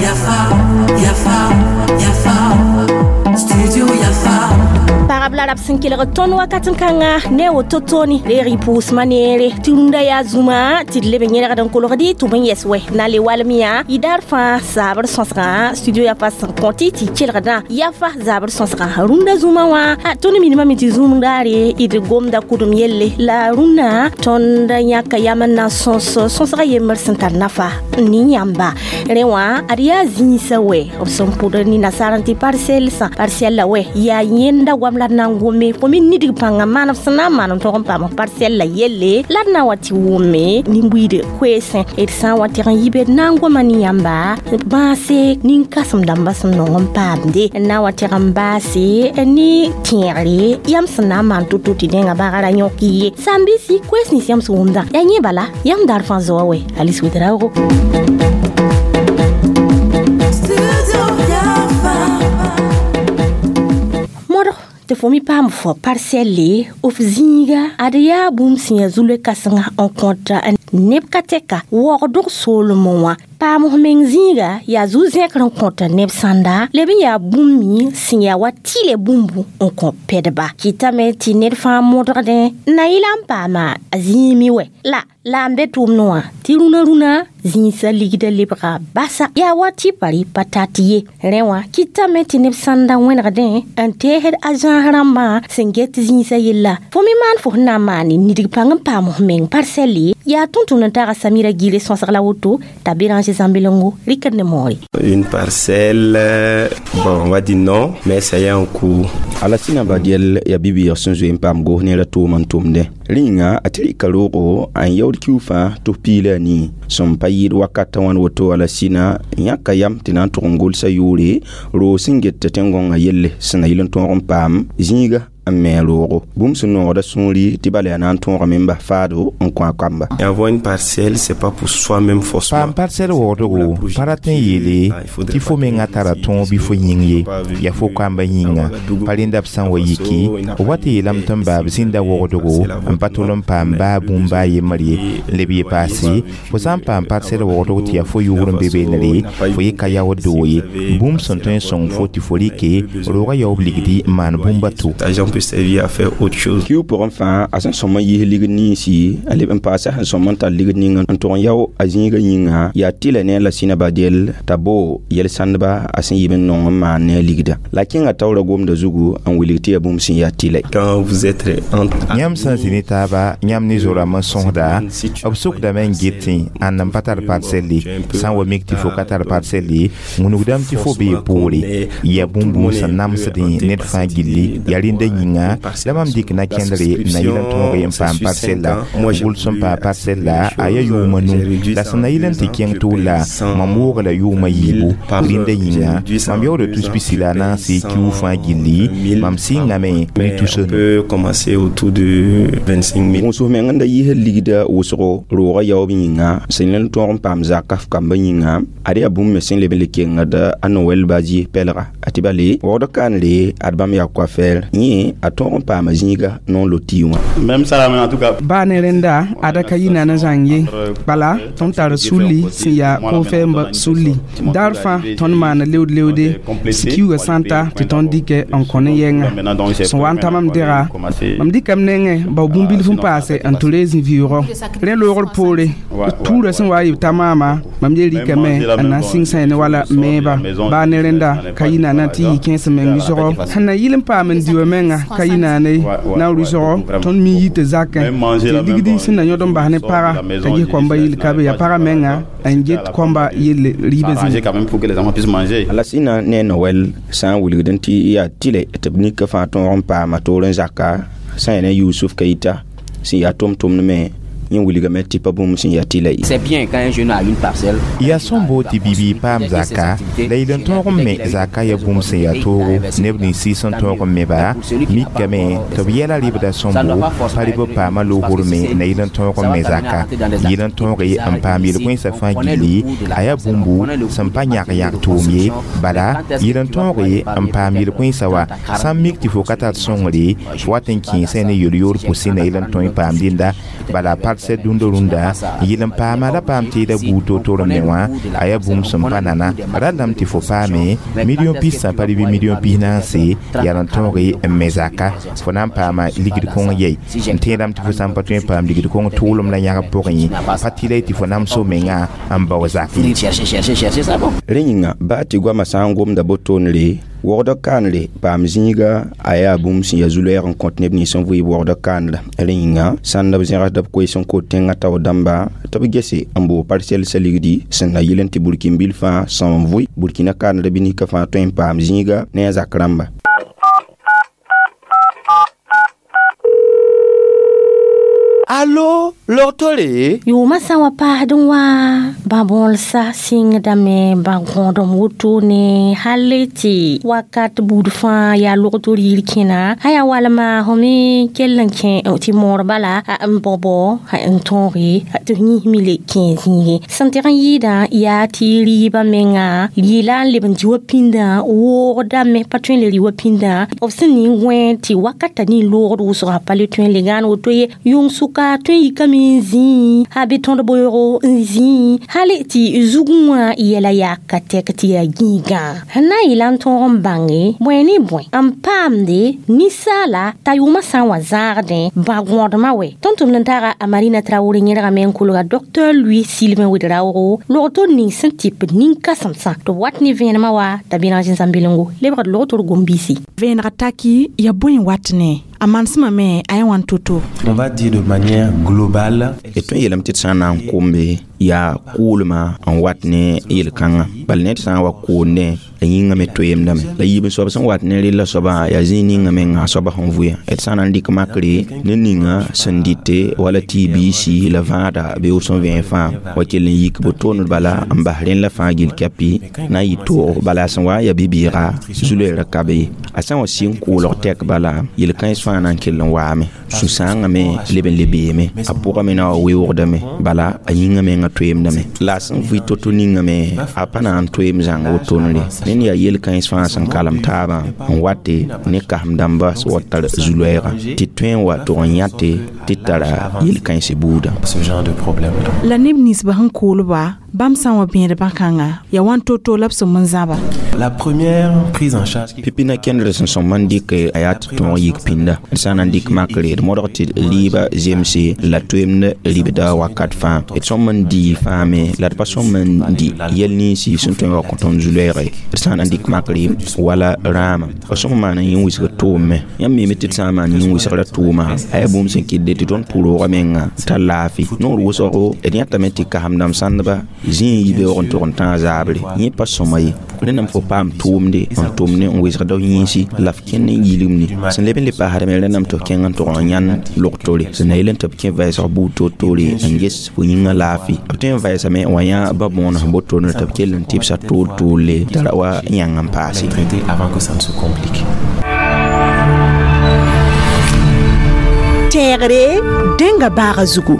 Yafa, Yafa, Yafa, Studio Yafa. Pagb la rab sẽn kelg tõnd wakat n kãnga ne woto tooni reeg y pʋʋsmã neere tɩ rũndã yaa zũma tɩ d leb n yẽlgd n kolgdi tɩ b n yɛs wɛ na le walem yã y daar fãa zaabr sõsgã studio yafa sẽn kõtɩ tɩ kelgdã yafa zaabr sõsgã rũndã zũmã wã tõnd minimame tɩ zũm daare d gomda kʋdem yelle la rũndã tõnd yãka yam n na sõs sõsga yembr sẽn tar nafa ne yãmba rẽ wã ad yaa zĩisã wɛ b sẽn pʋd ne nasaar n tɩ parsɛl sã parsɛl la wɛ yaa yẽnda goam la d na n gome fo me nidg pãngã maan b sẽn na n maan n tog n paam parsɛl la yelle la d na n wa tɩ wʋme nin-buiid koeesẽ d sã n wa tɩg n yibe d na n goma ne yãmba bãase nin-kãsem dãmbã sẽn nong n paamde n na n wa tɩg n baase ne tẽegre yãmb sẽn na n maan to-to tɩ dẽnga bagara yõk ye sãn-biisi koees nins yãmb sẽn wʋmdã yaa yẽ bala yãmb daar fãa zoa wɛ Alice Ouédraogo. Studio Yafa. Modg tɩ fo me paam fo parsɛlle f zĩiga ad yaa bũmb sẽn yaa zu-loe kãsenga n kõt neb ka tɛka waoogdg soolmẽ wã paam f meng zĩiga yaa zu-zẽkr n kõt neb sãnda leb n yaa bũmb me sẽn yaa wa tɩlɛ bũmbu n kõ pɛdba kɩtame tɩ ned fãa modgdẽ n na yɩla n paama a zĩime wɛ la n be tʋʋmdẽ wã tɩ rũnã rũnã zĩisã ligda lebga basa yaa wa tɩ pa rɩ pa tat ye rẽ wã kɩtame tɩ neb sãnda wẽnegdẽ n teesd a zãas rãmbã sẽn get zĩisã yella fo me maan fo sẽn na n maane nidg pãng n paam f meng parsɛlle yaa tʋm-tʋmd n taga Samira Gire sõsg la woto t'a Béranger Zambelengo rɩkd ne moore. Une parcelle, bon, on va dire non, mais ça y est en cours. Alasina Badiel ya bibiig sẽn zoe n paam gos neerã tʋʋm n tʋmdẽ rĩnga a tɩ rɩka roogo n yaood kiu fãa tɩ f piila a nii sẽn pa yɩɩd wakatã wãn woto Alasina yãka yam tɩ na n tʋg n gʋlsa yʋʋre roog sẽn get tẽn-gõngã yelle sẽn na yɩl n tõog n paam zĩiga n me roogo bũmb sẽn noogda sũuri tɩ bala yaa na n tõogame n bas faado n kõ a kamba. Et avoir une parcelle, c'est pas pour soi-même forcément. Paam parsɛl waoogdgo pa rat n yeele tɩ fo menga tara tõog bɩ fo yĩng ye yaa fo kamba yĩnga pa rẽnda b sã n wa yiki b wa tɩ yeelame tɩ n baab zĩnda waoogdgo n pa tol n paam baa bũmb baa yembr ye n leb ye paase fo sã n paam parsɛl waoogdg tɩ yaa fo yʋʋr n be beenre fo yɩ ka yaood doo ye bũmb sẽn tõe n sõng fo tɩ fo rɩke roogã yaoob ligdi n maan bũmb a to. L'argent peut servir à faire autre chose. Kiu pʋgẽ fãa a sẽn sõm n yiis ligd ninsi n leb n paasa sẽn sõm n tar ligd ning n tʋg n yao a zĩigã yĩnga yaa tɩlɛ ne a Lasina Badiel t'a boo yel-sãndba a sẽn yib n nong n maan ne a ligda la kẽnga taoora gomda zugu n wilg tɩ yaa bũmb sẽn yaa tɩlɛ. Quand vous êtes entre Yãmb sã n zĩ ne taaba yãmb ne zo-rãmb n sõsda b sokdame n getẽ ãnd n pa tar parsɛlle sã n wa mik tɩ fo ka tar parsɛlle wũnugdame tɩ fo bee poore yaa bũmb sẽn namsdẽ ned fãa gilli yaa rẽnda yĩnga la mam dɩk na kẽndre n na yɩl n tõog n paam parsɛlla gʋls n paam parsɛlla a yaa yʋʋma nu la sẽn na yɩl n tɩ kẽng tʋʋla mam wooga la yʋʋma yiibu rẽnda yĩnga mam yaooda tus pisi la a naase kiu fãa gilli mam sɩngame ne On tus nu. peut commencer autour de 25 000. Wʋsg meng n da yiisd ligda wʋsgo roogã yaoob yĩnga sẽn le n tõog n paam zaka f kambã yĩnga ad yaa bũmb me sẽn leb n le kengd a Noɛl Badie pɛlga a tɩ bale waood kaanre ad bãmb yaa coiffeur yẽ a tõog n paama zĩiga non loti wã. Même ça, en tout cas. Baa ne rẽnda ada ka yi nana zãng ye bala tõnd tar sulli sẽn yaa kofɛɛmbã sulli daar fãa tõnd maana leood leoode kiuugã sã n ta tɩ tõnd dɩkɛ n kõ ne yɛnga sẽn wa n ta mam dega mam dɩkame nengẽ bao bũmb-bilf n paase n tɩ rees n vɩʋʋgɔ rẽ loogr poore tuurã sẽn wa n yɩ ta maama mam ye rɩkame n na n sɩng sã ne wala meeba baa ne rẽnda ka yi naana tɩ yɩ kẽes meng rɩsgɔ sẽn na yɩl n paam n diwa menga ka yi naane na n rɩsgɔ tõnd mi yɩ tɩ zakẽ tɩ ligdi sẽn na yõd n bas ne paga t'a ges kõmba yɩl ka be yaa paga menga n get kõmba yelle rɩɩbã S'arranger zĩnga. quand même pour que les enfants puissent manger. Alasina ne Noɛl sã n wilgd n tɩ yaa tɩlɛ tɩ b nika fãa tõog n paama toor n zaka sã n yaa ne Yusuf Keita sẽn yaa tʋm-tʋmd me yẽ wilgame tɩ pa bũmb sẽn yaa tɩlɛ ye. C'est bien quand un jeune a une parcelle. Yaa sõmbo tɩ bibiig paam zaka la yɩl n tõog n me zaka yaa bũmb sẽn yaa toogo neb nins sɩɩs n tõog n meba mikame tɩ b yɛla rɩbda sõmbo pa rɩ b paama loogrme na yɩl n tõog n me zaka yɩl n tõoge n paam yel-kõensã fãa gilli a yaa bũmbu sẽn pa yãg yãg tʋʋm ye bala yɩl n tõoge n paam yel-kõensã wa sã n mik tɩ fo ka tar sõngre fo wat n kẽesã ne yel-yoor pʋsẽ na yɩl n tõe n paam dẽnda Bala parcelle dũnda rũndã yɩl n paama la paam teeda buud to-to me wã a yaa bũmb sẽn pa nana rallame tɩ fo paame million pis sã pa bɩ million pis naase yaa n tõoge n me zaka fo na n paama ligd kõng yɛi n tẽedame tɩ fo sã n pa tõe n paam ligd kõng tʋʋlem la yãgb pʋgẽ pa tɩ la tɩ fo namso menga n bao zak ye. Rẽ yĩnga baa tɩ goamã sã n gomda botoonre wogdã kaanre paam zĩiga a yaa bũmb sẽn yaa zu-loɛɛg n kõt neb nins n vɩɩb wogdã kaanra. Rẽ yĩnga sãnd b zẽgsda b koees n kot tẽngã taoor dãmba tɩ b gese n boog parsɛl ligdi sẽn na yɩl n tɩ burkin-bil fãa sõm n vʋɩ burkina kaanra bɩ-nika fãa tõe n paam zĩiga ne a zak rãmba. Allo, logtore? Yʋʋmã sã n wa paasd n wã bã-bõolsa sɩngdame bã-gõodem wotone hal tɩ wakat buud fãa yaa logto riir kẽna a yaa walma fo me kell n kẽ tɩ moor bala n bao n tõoge tɩ f yĩsme le kẽ zĩige sẽn tɩg n yɩɩdã yaa tɩ rɩɩbã menga yɩla n leb n dɩ wa pĩndã woogdame pa tõe n le rɩ wa pĩndã b sẽn ning wẽ tɩ wakata ning loogd wʋsga pa le tõe n le gãan woto ye yʋng sʋka tõe n yikame n zĩ a be tõd boeoogo n zĩ hal tɩ zugẽ wã yɛla yaa ka tɛk tɩ yaa gĩigã sẽn na n yɩla n tõog n bãnge bõe ne bõe n paamde ninsaala t'a yʋʋmã sã n wa zãagdẽ bã-gõodmã wɛ. Tõnd tʋmd n taaga a Marina Traoré yẽrgame n kolga Dr Louis Sylvain Ouedraogo log-tor ning sẽn tɩp nin-kãsemsã tɩ b wat ne vẽenemã wa t'a Béranger Zambelengo lebgd log-tor gom-biisi. Vẽeneg taki yaa bõe n wat ne a manesmã me a yaa wãn to-to. On va dire de manière globale. D tõe n yeelame tɩ d sã n na n kombe yaa kʋʋlmã n wat ne yel-kãngã bala ned sã n wa koondẽ a yĩngã me toeemdame la yiib soab sẽn wat ne rella soabã yaa zĩig ninga menga a soabã sẽn vʋɩ d sã n na n dɩk makre ne ninga sẽn dɩte wala tɩ biisi la vãada beoog sẽn vẽeg fãa wa kell n yik botooned bala n bas rẽnd la fãa gill kɛpɩ na n yɩ toog bala a sẽn wa n yaa bi-bɩɩga zu-loeerã ka be ye a sã n wa sɩng kʋʋlg tɛk bala yel-kãens fãa na n kell n waame sũ-sãangã me leb n le beeme a pʋgã me na wa weoogdame bala a yĩngã menga toeemdame la a sẽn vʋɩ to-to ninga me a pa na n toeem zãng wotone ned yaa yel-kãens fãa sẽn kalem taabã n wate ne kasem dãmba sẽn wa tar zu-loɛɛga tɩ tõe n wa tʋg n yãte tɩ tara yel-kãens buudã. Ce genre de problème. La neb ninsbã sẽn koolba bãmb sã n wa bẽed bã-kãnga yaa wãn to-to la b sẽn n zãba. La première prise en charge pipina kẽndr sẽn sõm n dɩk a yaa tɩ tõog yik pĩnda d sã n na n dɩk makre d modg tɩ rɩɩbã zemse la toeemd ribda wakat fãa d sõm n dɩ fãa me la d pa sõm n dɩ yɛl ninsi sẽn tõe n wa kõ tõnd zu-loɛɛge d sã n na n dɩk makre wala rãama b sõm n maan n yẽ wɩsg tʋʋm me yãmb miime tɩ d sã n maan yẽ wɩsgrã tʋʋma a yaa bũmb sẽn kɩtde tɩ tõnd pʋroogã menga tar laafɩ noor wʋsgo d yãtame tɩ kasem dãmb sãndba zĩig n yi beoog n tʋg n tãag zaabre yẽ pa sõma ye rẽndame fo paam tʋʋmde n tʋm ne n wɩsgda f yĩnsi la f kẽnd n yilgimde sẽn leb n le paasdame rẽndame tɩ f kẽng n tʋg n yãnd log-tore sẽn na yel n tɩ b kẽ vɛɛsg buud to-tore n ges fo yĩngã laafɩ b tõe n vɛɛsame n wa yã ba-bõonds botonr tɩ b kell n tɩbsa tool-toolle t'a ra wa yãng n paase. Traiter avant que ça ne se complique. Tẽegre dẽnga baaga zugu.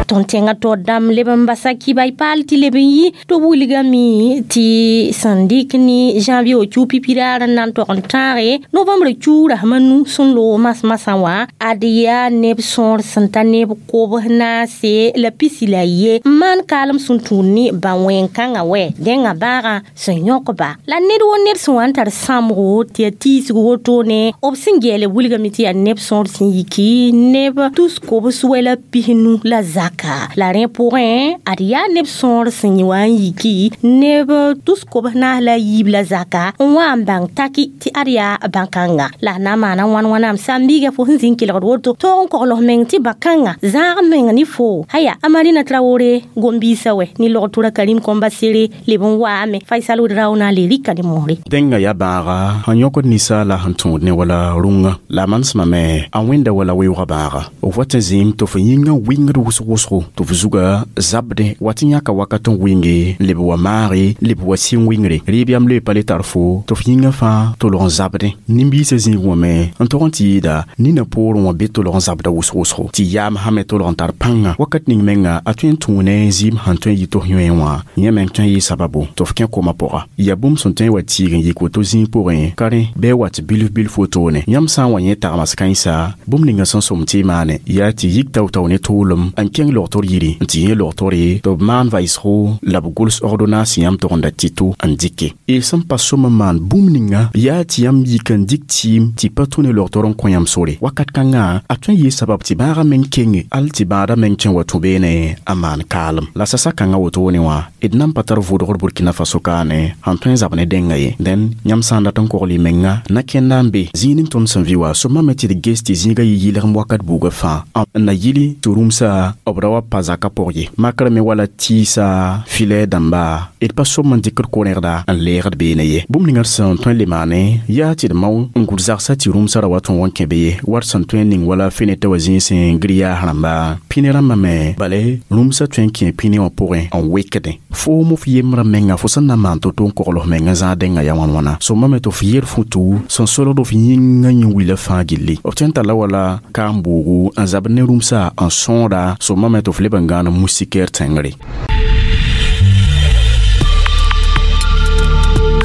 Tõnd tẽngã taoor dãmb leb n basa kibay paal tɩ leb n yi tɩ b wilgame tɩ sẽn dɩk ne janvier kiu pipi-raar n na n tog n tãage novembre kiu rasem a nu sẽn loog mas-masã wã ad yaa neb sõor sẽn ta neb kobs naase la pisi la ye n maan kaalem sẽn tũud ne bã-wẽn-kãngã wɛ dẽngã bãagã sẽn yõkba la ned wo ned sẽn wa n tar sãmbgo tɩ yaa tiisg wotone b sẽn gɛɛle wilgame tɩ yaa neb sõor sẽn yiki neb tus kobs wɛ la pisnu la zak la rẽ pʋgẽ ad yaa neb sõor sẽn wa n yiki neb tus kobs naas la yiib la zaka n wa n bãng taki tɩ ad yaa bã-kãnga la a na n maana wãn wãnaam sãn-biiga fo sẽn zĩ n kelgd woto toog n kogls meng tɩ bã-kãngã zãag meng ne fo aya a Marina Traoré gom-biisã wɛ ne log-tura Karim Kombasere leb n waame Faisal Ouedraogo na le rɩka ne moore. Dẽngã yaa bãaga sẽn yõkd ninsaala sẽn tõod ne wala rũngã la a manesmame a wẽnda wala weoogã bãaga f wat n zĩim tɩ f yĩngã wɩngd wʋsg wʋsgo wʋsgo tɩ f zuga zabdẽ wa tɩ yãka wakat n wɩnge n leb wa maage leb wa sɩng wɩngre rɩɩb yam le pa le tar fo tɩ f yĩngã fãa tolg n zabdẽ nin-biisã zĩig wã me n tog n tɩ yɩɩda nina poorẽ wã be tolg n zabda wʋsg-wʋsgo tɩ yaam sã me tolg n tar pãnga wakat ning menga a tõe n tũu ne zɩɩm sẽn tõe n yɩ tɩ f yõe wã yẽ meng tõe n yɩ sababu tɩ f kẽ koma pʋga yaa bũmb sẽn tõe n wa tiig n yik woto zĩig pʋgẽ ka rẽ bɩ wat bilf bilf wotone yãmb sã n wa yẽ tagmas kãensa bũmb ninga sẽn sõm tɩ y maane yaa tɩ yik tao-tao ne tʋʋlem n kẽng logtr yiri n tɩ yẽ logtore tɩ b maan vaɩsgo la b gʋls ordonnance yãmb togenda tɩto n dɩke y sẽn pa sõm n maan bũmb ninga yaa tɩ yãmb yik n dɩk tɩɩm tɩ pa tũ ne logtr n kõ yãmb sore wakat kãngã a tõe n yɩ sabab tɩ bãagã meng kenge al tɩ bãadã meng tõe n wa tũ beene a maan kaalem la sasa kãngã wotone wã d nan pa tar vʋʋdgr Burkina Faso kaane sẽn tõe n zab ne dẽnga ye dẽn yãmb sã n dat n kogl y menga na kẽnda n be zĩig ning tõnd sẽn vɩ wa sõma me tɩ d ges tɩ zĩigã yɩ yɩlgem wakat buugã fãa n na yili tɩ rũmsa b ra wa pa zakã pʋg ye makrã me wala tɩɩsa filɛ dãmba d pa sõm n dɩkd ko-rẽgda n leegd beene ye bũmb ninga d sẽn tõe n le maane yaa tɩ d mao n gʋd zagsã tɩ rũmsã ra wa tõog n kẽ be ye wat sẽn tõe n ning wala fenetã wa zĩig sẽn gr-yaas rãmba pĩne rãmbã me bale rũmsã tõe n kẽ pĩne wã pʋgẽ n wekdẽ foom f yembrã menga fo sẽn na n maan to-to n kogl f meng n zãag dẽngã yaa wãn-wãna sõma me tɩ f yer futu sẽn solgd f yĩngã yẽ wila fãa gilli f tõe n talla wala kaam-boogu n zabd ne rũmsã n sõoda sõma me tɩ f leb n gãan moustiquaire tẽngre.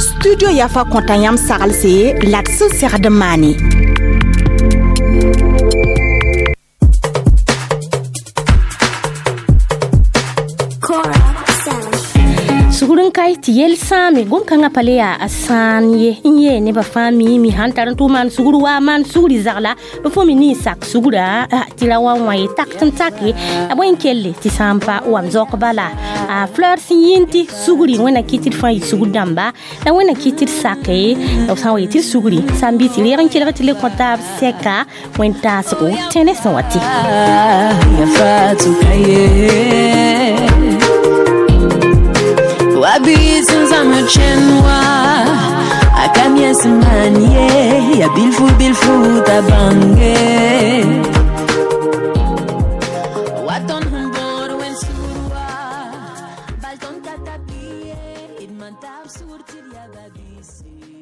Studio Yafa kõta yãmb saglse la d sẽn segd n maane. Sugr n kae tɩ yel sãame gom-kãngã pa le yaa a sãan ye n yee nebã fãa miime sãn tar n tʋ maan sugr wa maan sugri zagla b fo me nin sak sugra tɩ ra wa wã ye tak n take a bõe n kelle tɩ sã n pa wam zaok bala a fleur sẽn yĩn tɩ sugri wẽnna kɩ tɩ d fãa yɩ sugr dãmba la wẽnna kɩ tɩ d sake b sã n wa yɩ tɩ d sugri sã n bɩ tɩ reeg n kelg tɩ le kõ taab sɛka wẽn-taasgo tẽne sẽn wa tɩ Wabizinzamachenwa akamyesimanye ya bilfu bilfu tabange waton humbor wen surwa balton tatapie idmantab surtir ya babisi.